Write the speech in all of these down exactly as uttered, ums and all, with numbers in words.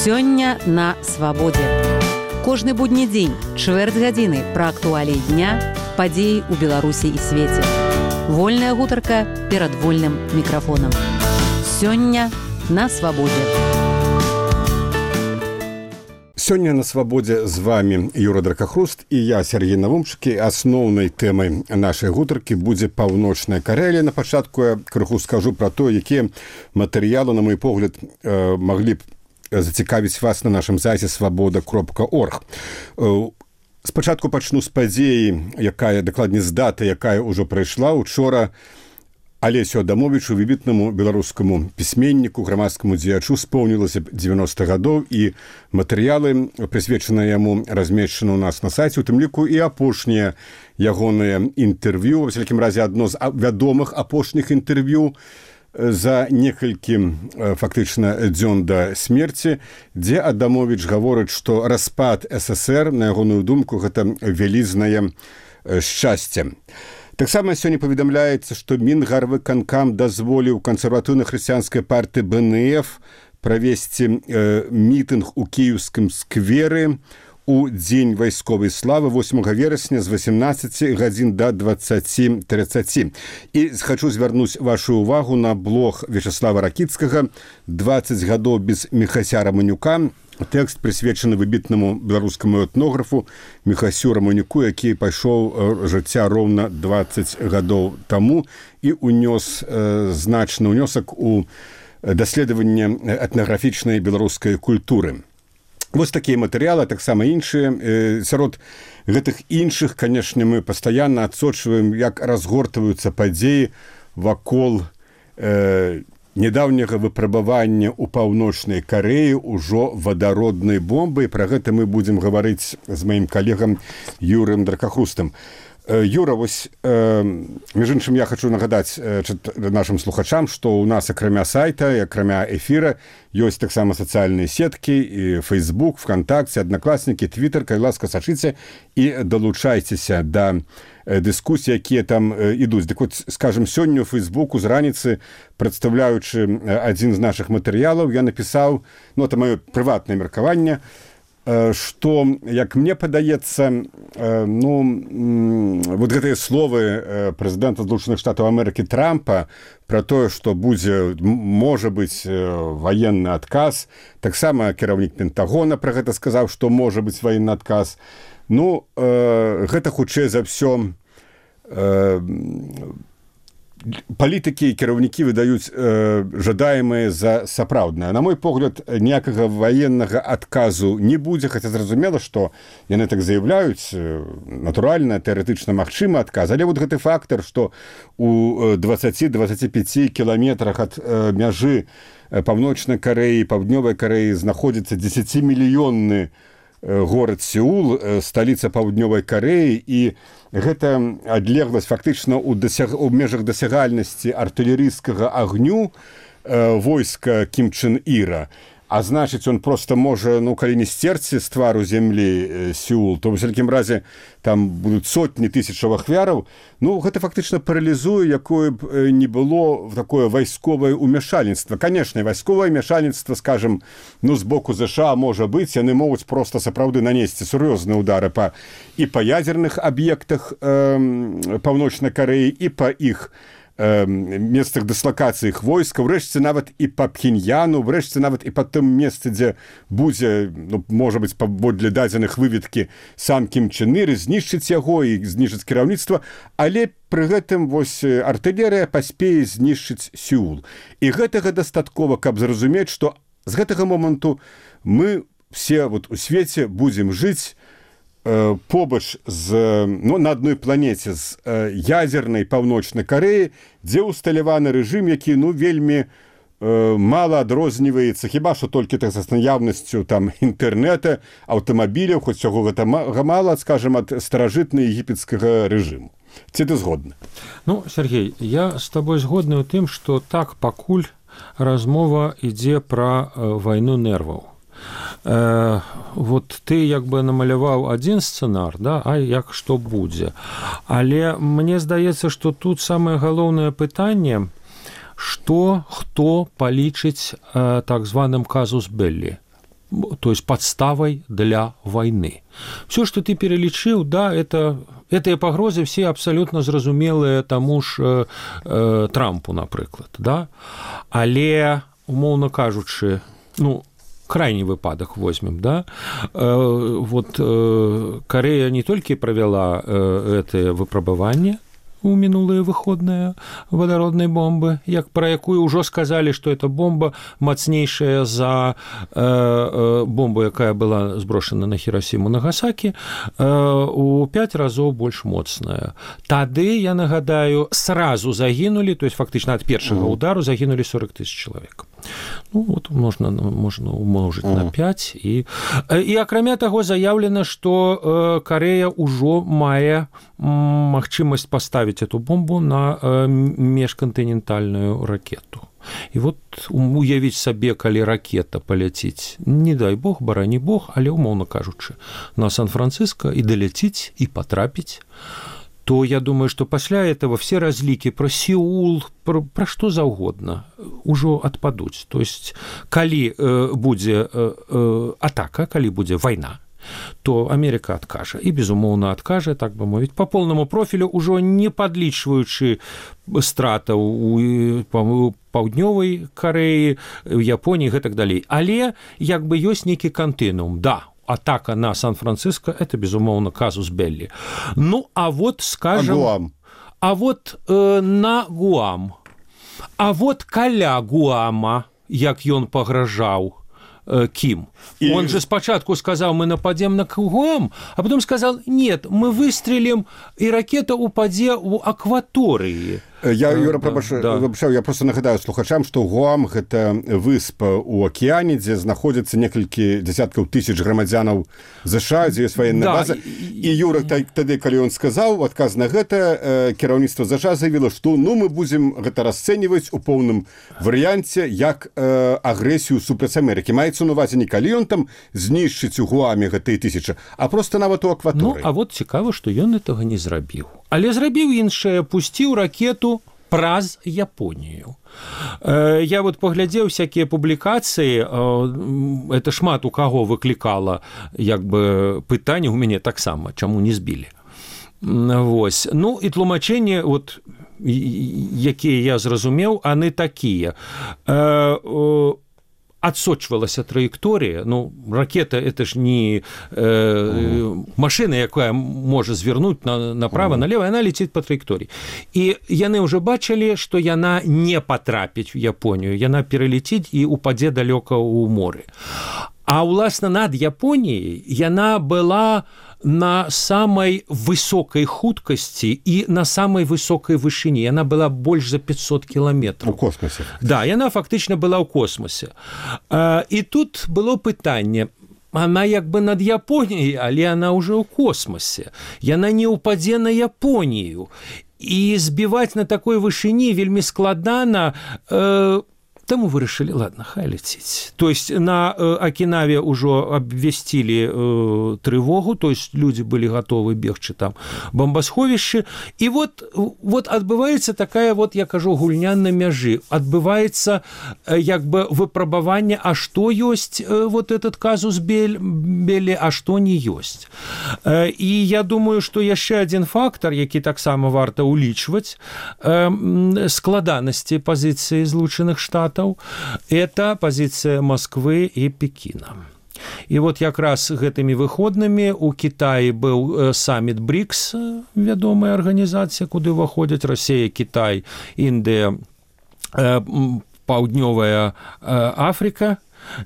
Сёння на свабодзе. Кожны будні дзень, чвэрць гадзіны пра актуаліі дня, падзеі ў Беларусі і свеце. Вольная гутарка перад вольным мікрафонам. Сёння на свабодзе. Сёння на свабодзе з вами Юра Дракахруст і я, Сергей Навумчыкі. Асноўнай тэмай нашай гутаркі будзе Паўночная Карэлія. На пачатку я крыху скажу пра то, якія матэрыялы, на мой погляд, маглі б зацікавіць вас на нашым сайце свабода кропка орг. Спачатку пачну з падзеі, якая, дакладней з даты, якая ўжо прайшла. Учора Алесю Адамовічу, выбітнаму беларускаму пісьменніку, грамадскаму дзеячу, споўнілася дзевяноста гадоў, і матэрыялы, прысвечаныя яму, размешчаны ў нас на сайце, у тым ліку і апошнія ягоныя інтэрв'ю, ва всякім разе адно з вядомых апошніх інтэрв'ю за некалькі фактычна дзён да смерці, дзе Адамовіч гаворыць, што распад ССР, на ягоную думку, гэта вялізнае шчасце. Таксама сёння паведамляецца, што Мінгарвыканкам дазволіў кансерватыўна-хрысціянскай партыі Бэ Эн Эф правесці э, мітынг у кіеўскім скверы у дзень вайсковай славы восьмага верасня з васемнаццаці гадзін да дваццаці трыццаці. І хачу звярнуць вашу ўвагу на блог Вячаслава Ракіцкага «дваццаць гадоў без Міхася Раманюка». Тэкст прысвечаны выбітнаму беларускаму этнографу Міхасю Раманюку, які пайшоў жыцця роўна дваццаць гадоў таму і унёс э, значны ўнёсак у даследаванне этнаграфічнай беларускай культуры. Вось такія матэрыялы, таксама іншыя. Э, сярод гэтых іншых, канешне, мы пастаянна адсочваем, як разгортваюцца падзеі вакол э, недаўняга выпрабавання ў Паўночнай Карэі ўжо вадароднай бомбы. Пра гэта мы будзем гаварыць з маім калегам Юрым Дракахрустам. Юра, вось, э, між іншым, я хачу нагадаць э, нашым слухачам, што ў нас акрамя сайта, акрамя эфіра, ёсць таксама сацыяльныя сеткі, і Facebook, ВКонтакте, Аднакласнікі, Твиттер. Калі ласка, сачыце і далучайцеся да дыскусій, якія там ідуць. Дык вот, скажем, сёння ў Фейсбуку з раніцы, прадстаўляючы адзін з нашых матэрыялаў, я напісаў, ну, это маё прыватнае меркаванне, што, як мне падаецца, ну, вот гэтыя словы прэзідэнта Злучаных Штатаў Амерыкі Трампа пра тое, што будзе, можа быць, ваенны адказ, таксама кіраўнік Пентагона пра гэта сказаў, што можа быць ваенны адказ. Ну, гэта хутчэй за ўсё палітыкі і кіраўнікі выдаюць э, жадаемыя за сапраўднае. На мой погляд, ніякага ваеннага адказу не будзе, хаця зразумела, што яны так заяўляюць, натуральна, тэарэтычна магчымы адказ, але вот гэты фактар, што у дваццаці-дваццаці пяці кіламетрах ад э, мяжы Паўночнай Карэі, Паўднёвай Карэі знаходзіцца дзесяцімільённы горад Сеул, сталіца Паўднёвай Карэі, і гэта адлегласць фактычна ў, дасяг... ў межах дасягальнасці артылерыйскага агню э, войска Кім Чен Іра. А значыць, он просто можа, ну, калі не сцерці з твару зямлі э, Сеул, то, в всякім разе, там будуць сотні тысячаў ахвяраў. Ну, гэта фактычна паралізуе, якое б э, не было такое вайсковае ўмяшальніцтва. Канешне, вайсковае ўмяшальніцтва, скажем, ну, з боку ЗША можа быць, яны могуць проста сапраўды нанесці сур'ёзныя ўдары па, і па ядзерных аб'ектах э, Паўночнай Карэі, і па іх месцах дыслакацыі іх войска, врэшце нават і па Пхеньяну, врэшце нават і па тым месцы, дзе будзе, ну, можа быць, паводле дадзеных выведкі сам Кім Чен Ір, знішчыць яго і знішчыць кіраўніцтва, але пры гэтым вось артылерыя паспее знішчыць Сеул. І гэтага дастаткова, каб зразумець, што з гэтага моманту мы все вот у свеце будзем жыць побач з, ну, на адной планеце з э, ядзернай Паўночнай Карэі, дзе ўсталяваны рэжым, які, ну, вельмі э, мала адрозніваецца, хіба што толькі так з наяўнасцю там інтэрнэта, аўтамабіляў, хоць цього гэта мала, скажем, ад старажытнага егіпецкага рэжыму. Ці ты згодны? Ну, Сергей, я з табой згодны ў тым, што так пакуль размова ідзе пра э, вайну нерваў. Э, вот ты як бы намаляваў адзін сцэнар, да, а як што будзе. Але мне здаецца, што тут самае галоўнае пытанне, што хто палічыць э, так званым казус беллі. то есть подставой для войны. Все, что ты перелічыў, да, это гэтыя пагрозы все абсалютна зразумелыя таму ж э, э, Трампу, напрыклад, да? Але, умоўна кажучы, ну, крайні выпадак возьмем, да? Э, вот э, Карэя не толькі правяла э, гэтае выпрабаванне у мінулыя выходныя вадароднай бомбы, як пра якую ўжо сказалі, што эта бомба мацнейшая за э, э, бомбу, якая была зброшана на Хірасіму, Нагасакі, э, у пяць разоў больш моцная. Тады, я нагадаю, сразу загінулі, то есть фактычна ад першага удару загінулі сорок тысяч чалавек. Ну, вот можна, можна умножыць на пяць. І, і акрамя таго, заяўлена, што Карэя ўжо мае магчымасць паставіць эту бомбу на межкантынентальную ракету. І вот уявіць сабе, калі ракета паляціць, не дай бог, барані бог, але, умоўна кажучы, на Сан-Франциско і даляціць, і патрапіць, то я думаю, что пасля этого все разлики про Сеул, про, про что заўгодна ужо адпадуць. То есть, калі э, будзе э, э, атака, калі будзе вайна, то Америка адкажа. І, безумоўна, адкажа, так бы мовіць, по полному профилю, ужо не падлічваючы стратаў у паўднёвай Карэі, Японіі, гэтак далей. Але, як бы, ёсць нейкі кантынуум, да, атака на Сан-Франциско – это, безумоўно, казус белли. Ну, а вот, скажем… А Гуам? А вот э, на Гуам. А вот каля Гуама, як ён пагражаў э, Ким. И... Он же спочатку сказал, мы нападем на Гуам, а потом сказал, нет, мы выстрелим, и ракета упадзе у акватории. Я, Юра, прабачаю, да, да. Я просто нагадаю слухачам, што Гуам – гэта выспа ў акіяне, дзе знаходзяцца некалькі дзясяткаў тысяч грамадзянаў ЗША, дзе ёсць ваенная да, база. І, і Юра, тады, калі ён сказаў, адказ на гэта, кіраўніцтва ЗША заявіла, што ну, мы будзем гэта расцэньваць у поўным варыянце як э, агрэсію супраць Амерыкі. Маецца на увазе не калі ён там знішчыць у Гуаме гэтыя тысячы, а просто нават у акваторыі. Ну, а вот цікава, што ён гэтага не зрабіў. Але зрабіў іншае, пусціў ракету праз Японію. Я вот паглядзеў всякія публікацыі, это шмат у каго выклікала як бы пытанне, у мяне таксама, чаму не збілі. Вось. Ну і тлумачэнні, вот, якія я зразумеў, яны такія. Отсочвалася траектория, ну, ракета – это ж не э, машина, якая можа звернуть на, направо, налево, она летит по траектории. И яны уже бачили, что яна не потрапить в Японию, яна перелетит и упадзе далеко у моря. А, уласна, над Японией яна была на самой высокой хуткасці и на самой высокой вышыні. Яна была больш за пятьсот километров. У космосе. Да, яна фактично была ў космосе. И тут было пытанне, она як бы над Японией, але она уже ў космосе. Яна не упадзе на Японию. И збивать на такой вышыні вельмі складана. Э, Таму вырашылі, ладно, хай летіць. То есть на э, Окинаве ўжо абвясцілі э, трывогу, то есть люди былі гатовы бегчы там бомбасховішчы. І вот, вот адбываецца такая, вот, я кажу, гульня на мяжы. Адбываецца э, як бы выпрабаванне, а што ёсць э, вот этот казус белли, а што не ёсць. Э, і я думаю, што яшчэ адзін фактор, які таксама варта ўлічваць, э, складанасці пазіцыі Злучаных Штатаў, это позиция Москвы и Пекина. И вот как раз гэтымі выходнымі у Китаі был саммит БРИКС, вядомая организация, куды ўваходзяць Россия, Китай, Индия, Паўднёвая Африка,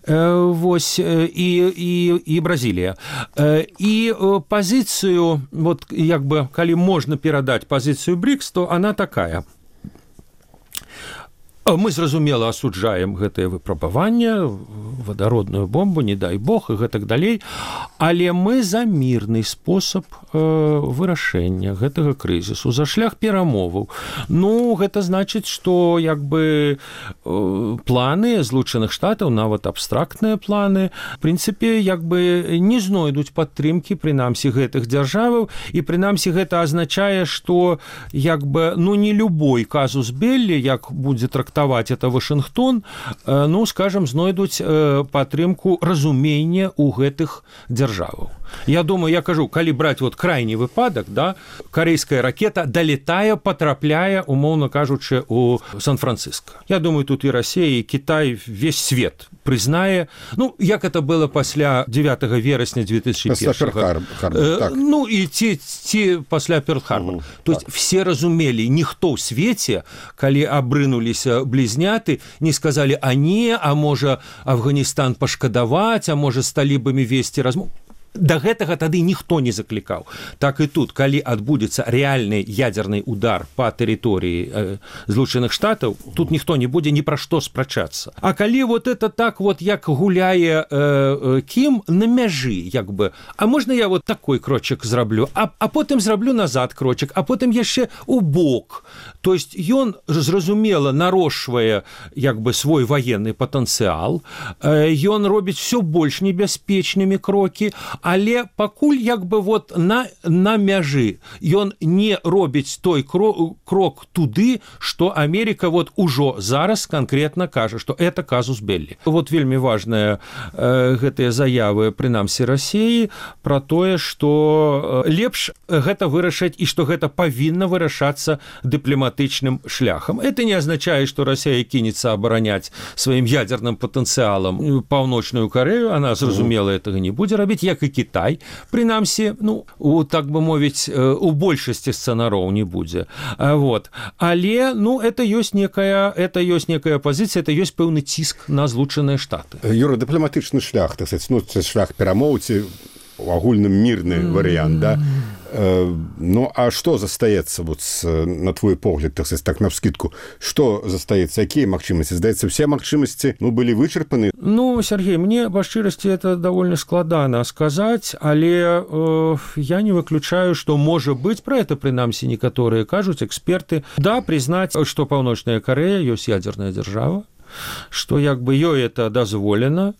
вось, и, и, и Бразилия. И позицию, вот, як бы, калі можно перадать позицию БРИКС, то она такая. Мы, зразумела, асуджаем гэтае выпрабаванне, вадародную бомбу, не дай бог, і гэтак далей, але мы за мірны спосаб э, вырашэння гэтага крызісу, за шлях перамоваў. Ну, гэта значыць, што як бы планы Злучаных Штатаў, нават абстрактныя планы, в прынцыпе, як бы не знойдуць падтрымкі, прынамсі, гэтых дзяржаваў, і прынамсі гэта азначае, што як бы, ну, не любой казус белли, як будзе трактаваць это Вашынгтон, ну, скажем, знойдуць падтрымку разумення ў гэтых дзяржаваў. Я думаю, я кажу, калі браць вот крайні выпадак, да, карейская ракета далетае, потрапляе, умоўна кажучы, у Сан-Франциско. Я думаю, тут і Россия, і Китай, весь свет прызнае, ну, як это было пасля девятого верасня две тысячи первого. Пасля Перл-Харбора, так. Ну, і ці, ці пасля Перл-Харбора. Mm, То есть так. Все разумелі, ніхто ў свеце, калі абрынуліся блізняты, не сказалі, а не, а можа Афганістан пашкадаваць, а можа з талібамі весці размову. Да гэтага тады ніхто не заклікаў. Так і тут, калі адбудзецца рэальны ядзерны удар па тэрыторыі э, Злучаных Штатаў, тут ніхто не будзе ні пра што спрачацца. А калі вот это так вот, як гуляе э, э, Кім на мяжы, як бы, а можна я вот такой крочак зраблю, а, а потым зраблю назад крочак, а потым яшчэ у бок. То есть ён, зразумела, нарошвае як бы свой ваенны патэнцыял, э, ён робіць все больш небяспечнымі крокі, але пакуль як бы вот на, на мяжы ён не робіць той крок, крок туды, што Америка вот ужо зараз конкретно кажа, што это казус белли. Вот вельмі важная э, гэтыя заявы прынамсі России про тое, што лепш гэта вырашаць і што гэта павінна вырашацца дыпламатычным шляхам. Это не означает, что Россия кинется оборонять своим ядерным потенциалом Паўночную Корею, она, зразумела, этого не будзе рабіць, як і Китай, прынамсі, ну, у, так бы мовіць, у большасці сцэнароў не будзе. Вот. Але, ну, это ёсць некая, это ёсць некая пазіцыя, это ёсць пэўны ціск на Злучаныя Штаты. Юра, дыпламатычны шлях, так сказать, ну, шлях перамоўці, агульным мірны варыянт, да? Ну, а што застаецца, вот, на твой погляд, так сказать, так навскидку, што застаецца, якія магчымасці? Здаецца, все магчымасці, ну, былі вычарпаны? Ну, Сергей, мне, па шчырасці, это довольно складана сказаць, але э, я не выключаю, што можа быць, пра это, прынамсі, некаторыя кажуць, эксперты, да, прызнаць, што Паўночная Карэя ёсць ядерная дзяржава, што як бы ёй это дазволена,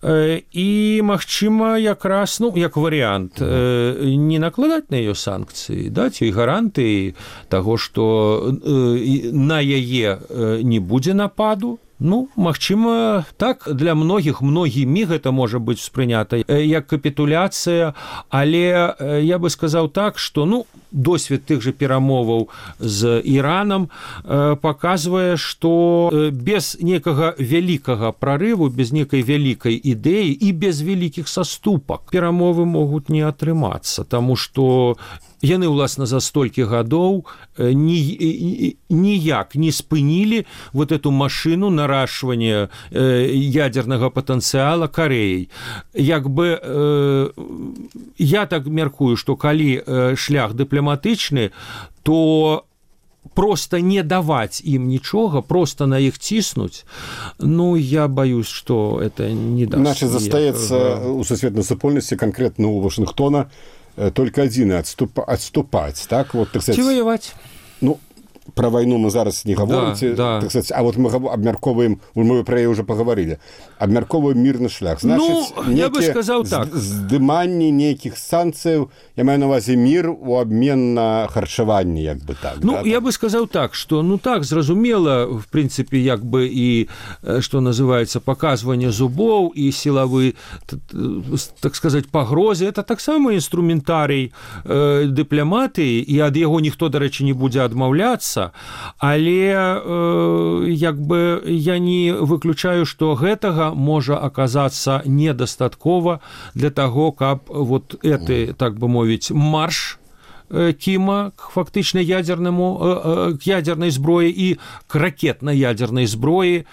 і, магчыма, якраз, ну, як варыянт, не накладаць на яе санкцыі, даць ёй гарантыі таго, што на яе не будзе нападу. Ну, магчыма, так, для многіх, многімі гэта можа быць успрынята як капітуляцыя, але я бы сказаў так, што, ну, досвед тых жа перамоваў з Іранам э, паказвае, што без некага вялікага прарыву, без некай вялікай ідэі і без вялікіх саступак перамовы могуць не атрымацца, таму што яны, уласна, за столькі гадоў ні, ніяк не спынілі вот эту машину наращивания ядернага патэнцыяла Карэяй. Як бы, э, я так мяркую, што калі шлях дыпламатычны, то просто не даваць ім нічога, просто на іх ціснуць, ну, я боюсь, што это не даст. Значит, застаецца у сусветнай супольнасці, конкретно у Вашингтона, только один отступ, отступать, так? Вот, так сказать, ці воевать. Ну, про войну мы зараз не говорим, да, да. Так сказать, а вот мы обмярковываем, мы про ее уже поговорили, обмярковываем мирный шлях. Значит, ну, я бы сказал так. Здыманне неких санкций, я маю на увазе мир у обмен на харчаванне, як бы так. Ну, да, я так? бы сказал так, что, ну, так, зразумела, в принципе, як бы и, что называется, показывание зубов и силовые, так сказать, погрозы, это так само инструментарий э, дипломатии, и от его никто, до речі, не будет отмовляться. Але э, як бы я не выключаю, што гэтага можа аказацца недастаткова для таго, каб вот гэты, так бы мовіць, марш Кіма к фактычна ядернаму, к ядернай зброі і к ракетна-ядернай зброі,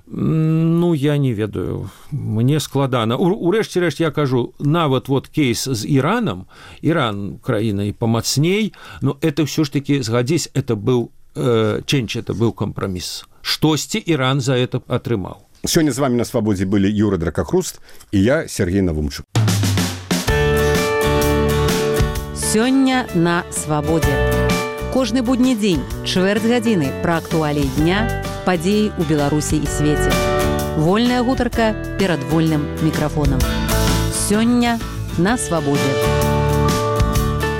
ну, я не ведаю, мне складана. Урэшце рэшт я кажу, нават вот кейс з Іранам, Іран краіна і памацней, но это все ж таки, згадзісь, это быў э, чэнч, это быў кампраміс. Штосьці Іран за это атрымаў. Сёння з вами на свабодзе былі Юра Дракахруст і я, Сергей Навумчук. Сёння на свабодзе. Кожны будні дзень, чвэрць гадзіны пра актуаліі дня, падзеі ў Беларусі і свеце. Вольная гутарка перад вольным мікрафонам. Сёння на свабодзе.